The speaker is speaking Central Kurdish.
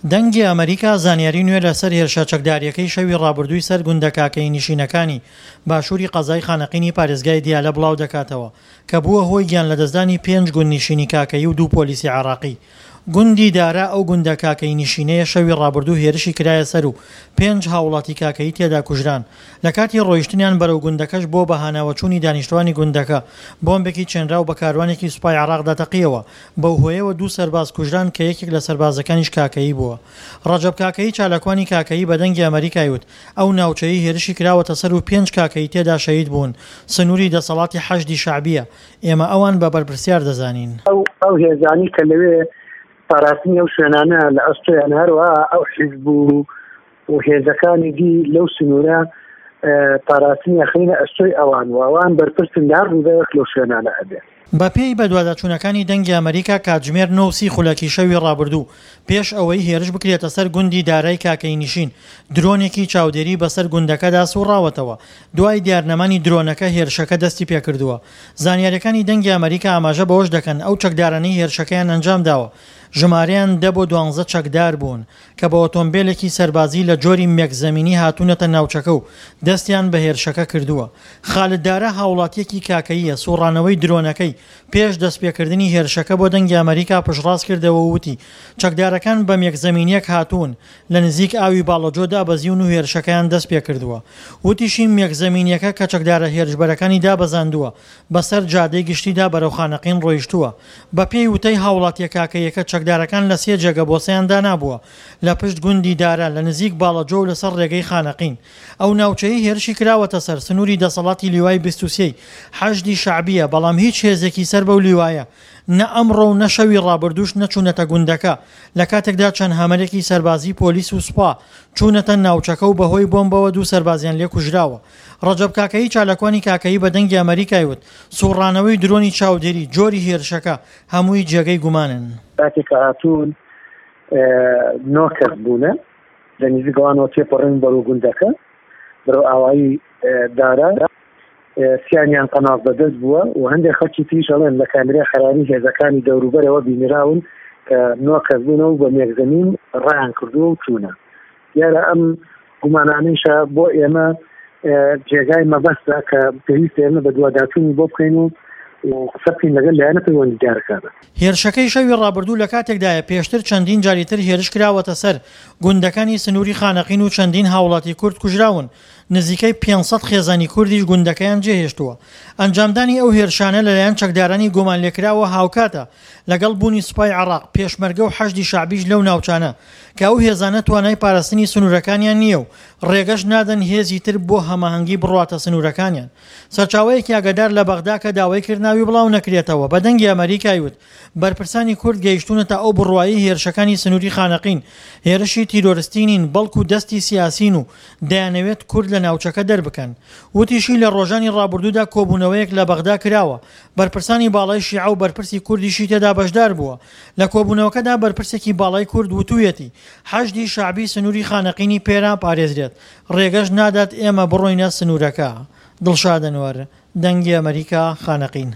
دەنگی ئەمەریکا زانیاری نوێ لەسەر هێرشە چەکدارییەکەی شەوی ڕابردووی سەر گوندە کاکەیی نشینەکانی باشووری قەزای خانەقینی پارێزگای دیالە بڵاودەکاتەوە کە بووە هۆی گیانلەدەستدانی پێنج گوندنیشینی کاکەیی و دوو پۆلیسی عێراقی. گوندی دارا ئەو گوندە کاکەیی نشینەیە شەوی ڕابردوو هێرشی کرایە سەر و پێنج هاوڵاتی کاکەیی تێدا کوژران. لە کاتی ڕۆیشتنیان بەرەو گوندەکەش بۆ بەهاناوەچوونی دانیشتوانی گوندەکە بۆمبێکی چێنراو بە کاروانێکی سوپای عێراقدا تەقیەوە، بەو هۆیەوە دوو سەرباز کوژران کە یەکێک لە سەربازەکانیش کاکەیی بووە. ڕەجەب کاکەیی چالاکوانی کاکەیی بە دەنگی ئەمەریکای وت، ئەو ناوچەیەی هێرشی کراوەتە سەر و پێنج کاکەیی تێدا شەهید بوون، سنووری دەسەڵاتی حەشدی شەعبییە، ئێمە ئەوان بە بەرپرسیار دەزانین. ئەو هێزانەی کە لەوێ پاراستنی ئەو شوێنانە لە ئەستۆیانە، هەروەها ئەو حیزب و و هێزەکانی دی لەو سنوورە پاراستنی ئەخەینە ئەستۆی ئەوان و ئەوان بەرپرسن لە هەر ڕووداوێک لەو شوێنانە ئەبێ. بەپێی بەدواداچوونەکانی دەنگی ئەمەریکا کاتژمێر نۆ و سی خولەکی شەوی ڕابردوو پێش ئەوەی هێرش بکرێتە سەر گوندی دارای کاکەیی نشین درۆنێکی چاودێری بەسەر گوندەکەدا سوڕاوەتەوە دوای دیارنەمانی درۆنەکە هێرشەکە دەستی پێکردووە زانیاریەکانی دەنگی ئەمەریکا ئاماژە بەوەش دەکەن ئەو چەکدارانەی هێرشەکەیان ئەنجامداوە ژمارەیان دە بۆ دوانزە چەکدار بوون کە بە ئۆتۆمبێلێکی سەربازی لە جۆری مێک زەمینی هاتوونەتە ناوچەکە و دەستیان بە هێرشەکە کردووە. خالد دارا هاوڵاتییەکی کاکەییە، سوڕانەوەی درۆنەکەی پێش دەستپێکردنی هێرشەکە بۆ دەنگی ئەمەریکا پشتڕاست کردەوە و وتی، چەکدارەکان بە مێک زەمینییەک هاتوون، لە نزیک ئاوی باڵەجۆ دابەزیون و هێرشەکەیان دەستپێکردووە. وتیشی، مێک زەمینییەکە کە چەکدارە هێرشبەرەکانی دابەزاندووە، بەسەر جادەی گشتیدا بەرەو خانەقین ڕۆیشتووە. بەپێی وتەی هاوڵاتییە کاکەییەکە چەکدارەکان لە سێ جێگە بۆسەیان دانابووە، لە پشت گوندی دارا، لە نزیک باڵەجۆ و لەسەر ڕێگەی خانەقین. ئەو ناوچەیەی هێرشی کراوەتە سەر، سنووری دەسەڵاتی لیوای 23 ی حەشدی شەعبییە، بەڵام هیچ هێزێکی سەر بەو لیوایە نە ئەمڕۆ و نە شەوی ڕابردووش نەچوونەتە گوندەکە، لە کاتێکدا چەند هامەرێکی سەربازیی پۆلیس و سوپا چوونەتە ناوچەکە و بەهۆی بۆمبەوە دوو سەربازیان لێ کوژراوە. ڕەجەب کاکەیی چالاکوانی کاکەیی بە دەنگی ئەمەریکای وت، سوڕانەوەی درۆنی چاودێری، جۆری هێرشەکە، هەمووی جێگەی گومانن. کاتێک کە هاتوون نۆ کەس بوونە، لە نزیک ئەوانەوە تێپەڕین بەرەو گوندەکە، بەرەو ئاوایی دارا، سیانیان قەناس بەدەست بووە و هەندێک خەڵکی تریش ئەڵێن لە کامیرای حەراری هێزەکانی دەوروبەرەوە بینراون کە نۆ کەس بوونە و بە مێکزەمین ڕایان کردووە و چوونە. دیارە ئەم گومانانەیشە بۆ ئێمە جێگای مەبەستە کە پێویستە ئێمە بەدواداچوونی بۆ بکەین و قسە بکەین لەگەڵ لایەنە پەیوەندیدارەکانە. هێرشەکەی شەوی ڕابردوو لە کاتێکدایە پێشتر چەندین جاری تر هێرش کراوەتە سەر گوندەکانی سنووری خانەقین و چەندین هاوڵاتی کورد کوژراون، نزیکەی 500 خێزانی کوردیش گوندەکەیان جێهێشتووە. ئەنجامدانی ئەو هێرشانە لەلایەن چەکدارانی گومانلێکراوە هاوکاتە لەگەڵ بوونی سوپای عێراق، پێشمەرگە و حەشدی شەعبیش لەو ناوچانە، کە ئەو هێزانە توانای پاراستنی سنوورەکانیان نییە و ڕێگەش نادەن هێزی تر بۆ هەماهەنگی بڕواتە سنوورەکانیان. سەرچاوەیەکی ئاگادار لە بەغدا کە داوای کرد ناوی بڵاو نەکرێتەوە بە دەنگی ئەمەریکای وت، بەرپرسانی کورد گەیشتوونەتە ئەو بڕوایەی هێرشەکانی سنووری خانەقین هێرشی تیرۆرستی نین بەڵکو دەستی سیاسین و دەیانەوێت کورد لە ناوچەکە دەربکەن. وتیشی لە ڕۆژانی ڕابردوودا کۆبوونەوەیەک لە بەغدا کراوە بەرپرسانی باڵای شیعە و بەرپرسی کوردیشی تێدا بەشدار بووە. لە کۆبوونەوەکەدا بەرپرسێکی باڵای کورد وتوویەتی، حەشدی شەعبی سنووری خانەقینی پێ ناپارێزرێت، ڕێگەش نادات ئێمە بڕۆینە سنوورەکە. دڵشاد ئەنوەر، دەنگی ئەمەریکا، خانەقین.